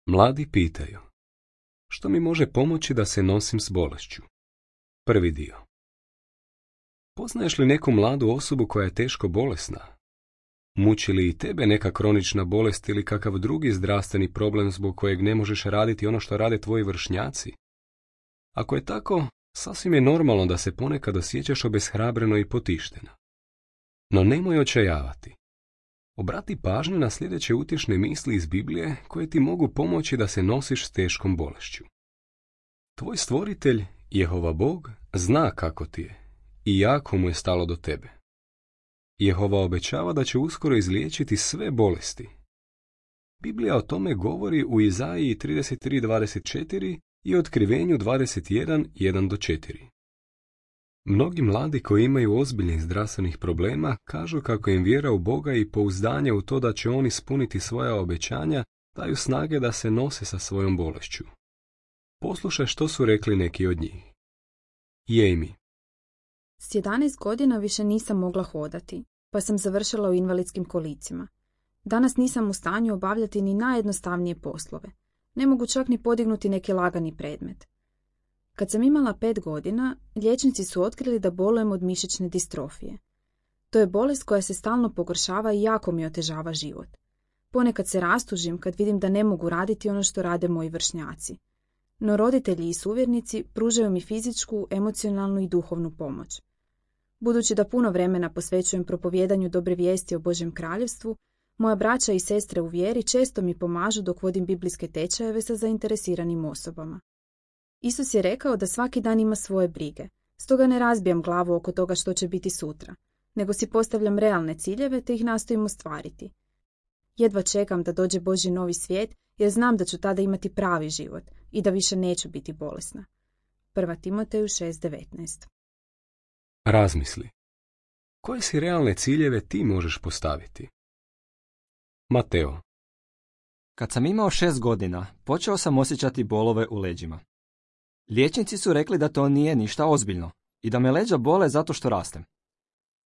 Mladi pitaju, što mi može pomoći da se nosim s bolešću? Prvi dio. Poznaješ li neku mladu osobu koja je teško bolesna? Muči li i tebe neka kronična bolest ili kakav drugi zdravstveni problem zbog kojeg ne možeš raditi ono što rade tvoji vršnjaci? Ako je tako, sasvim je normalno da se ponekad osjećaš obeshrabreno i potišteno. No nemoj očajavati. Obrati pažnju na sljedeće utješne misli iz Biblije koje ti mogu pomoći da se nosiš s teškom bolešću. Tvoj stvoritelj, Jehova Bog, zna kako ti je i jako mu je stalo do tebe. Jehova obećava da će uskoro izliječiti sve bolesti. Biblija o tome govori u Izaiji 33:24 i Otkrivenju 21:1-4. Mnogi mladi koji imaju ozbiljnih zdravstvenih problema kažu kako im vjera u Boga i pouzdanje u to da će on ispuniti svoja obećanja daju snage da se nose sa svojom bolešću. Poslušaj što su rekli neki od njih. Jamie. S 11 godina više nisam mogla hodati, pa sam završila u invalidskim kolicima. Danas nisam u stanju obavljati ni najjednostavnije poslove. Ne mogu čak ni podignuti neki lagani predmet. Kad sam imala 5 godina, liječnici su otkrili da bolujem od mišićne distrofije. To je bolest koja se stalno pogoršava i jako mi otežava život. Ponekad se rastužim kad vidim da ne mogu raditi ono što rade moji vršnjaci. No roditelji i suvjernici pružaju mi fizičku, emocionalnu i duhovnu pomoć. Budući da puno vremena posvećujem propovjedanju dobre vijesti o Božjem kraljevstvu, moja braća i sestre u vjeri često mi pomažu dok vodim biblijske tečajeve sa zainteresiranim osobama. Isus je rekao da svaki dan ima svoje brige, stoga ne razbijam glavu oko toga što će biti sutra, nego si postavljam realne ciljeve te ih nastojim ostvariti. Jedva čekam da dođe Božji novi svijet jer znam da ću tada imati pravi život i da više neću biti bolesna. 1. Timoteju 6:19. Razmisli. Koje si realne ciljeve ti možeš postaviti? Mateo. Kad sam imao 6 godina, počeo sam osjećati bolove u leđima. Liječnici su rekli da to nije ništa ozbiljno i da me leđa bole zato što rastem.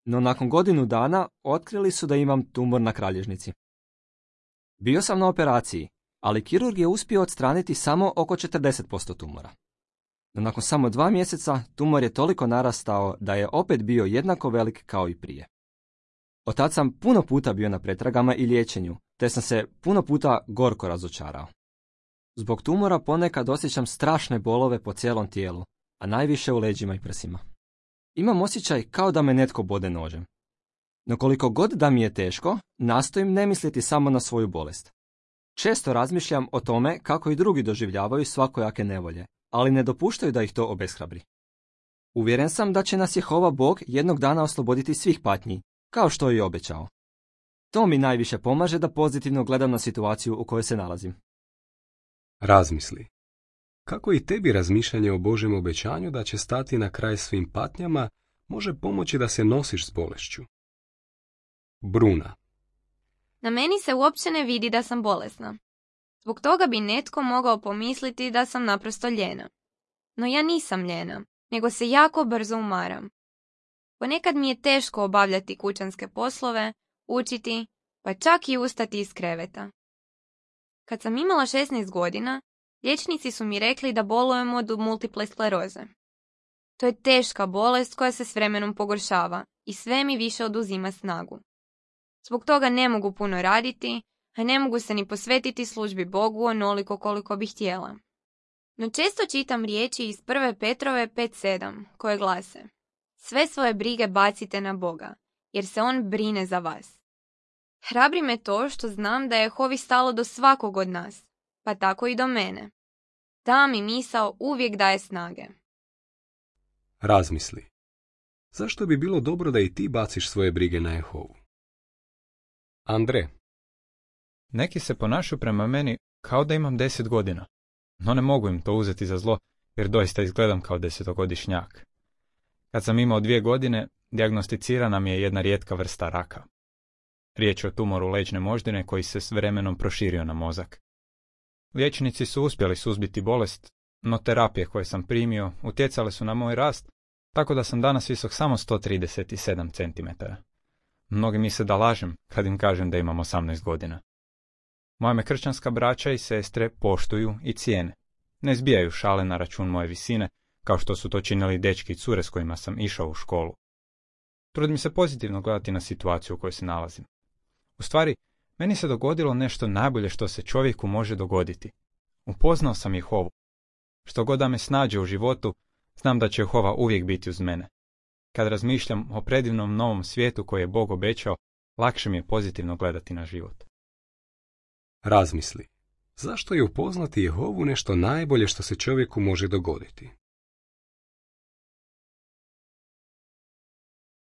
No nakon godinu dana otkrili su da imam tumor na kralježnici. Bio sam na operaciji, ali kirurg je uspio odstraniti samo oko 40% tumora. No nakon samo 2 mjeseca tumor je toliko narastao da je opet bio jednako velik kao i prije. Od tad sam puno puta bio na pretragama i liječenju, te sam se puno puta gorko razočarao. Zbog tumora ponekad osjećam strašne bolove po cijelom tijelu, a najviše u leđima i prsima. Imam osjećaj kao da me netko bode nožem. No koliko god da mi je teško, nastojim ne misliti samo na svoju bolest. Često razmišljam o tome kako i drugi doživljavaju svakojake nevolje, ali ne dopuštaju da ih to obeshrabri. Uvjeren sam da će nas Jehova Bog jednog dana osloboditi svih patnji, kao što je i obećao. To mi najviše pomaže da pozitivno gledam na situaciju u kojoj se nalazim. Razmisli. Kako i tebi razmišljanje o Božjem obećanju da će stati na kraj svim patnjama može pomoći da se nosiš s bolešću? Bruna. Na meni se uopće ne vidi da sam bolesna. Zbog toga bi netko mogao pomisliti da sam naprosto lijena. No ja nisam lijena, nego se jako brzo umaram. Ponekad mi je teško obavljati kućanske poslove, učiti, pa čak i ustati iz kreveta. Kad sam imala 16 godina, liječnici su mi rekli da bolujem od multiple skleroze. To je teška bolest koja se s vremenom pogoršava i sve mi više oduzima snagu. Zbog toga ne mogu puno raditi, a ne mogu se ni posvetiti službi Bogu onoliko koliko bih htjela. No često čitam riječi iz 1. Petrove 5:7 koje glase: sve svoje brige bacite na Boga, jer se On brine za vas. Hrabri me to što znam da je Jehovi stalo do svakog od nas, pa tako i do mene. Ta mi misao uvijek daje snage. Razmisli. Zašto bi bilo dobro da i ti baciš svoje brige na Jehovu? Andre. Neki se ponašaju prema meni kao da imam 10 godina, no ne mogu im to uzeti za zlo jer doista izgledam kao 10-godišnjak. Kad sam imao 2 godine, dijagnosticirana mi je jedna rijetka vrsta raka. Riječ je o tumoru leđne moždine koji se s vremenom proširio na mozak. Liječnici su uspjeli suzbiti bolest, no terapije koje sam primio utjecale su na moj rast, tako da sam danas visok samo 137 cm. Mnogi misle da lažem kad im kažem da imam 18 godina. Moja me kršćanska braća i sestre poštuju i cijene. Ne zbijaju šale na račun moje visine, kao što su to činili dečki i cure s kojima sam išao u školu. Trudim se pozitivno gledati na situaciju u kojoj se nalazim. U stvari, meni se dogodilo nešto najbolje što se čovjeku može dogoditi. Upoznao sam Jehovu. Što god da me snađe u životu, znam da će Jehova uvijek biti uz mene. Kad razmišljam o predivnom novom svijetu koji je Bog obećao, lakše mi je pozitivno gledati na život. Razmisli. Zašto je upoznati Jehovu nešto najbolje što se čovjeku može dogoditi?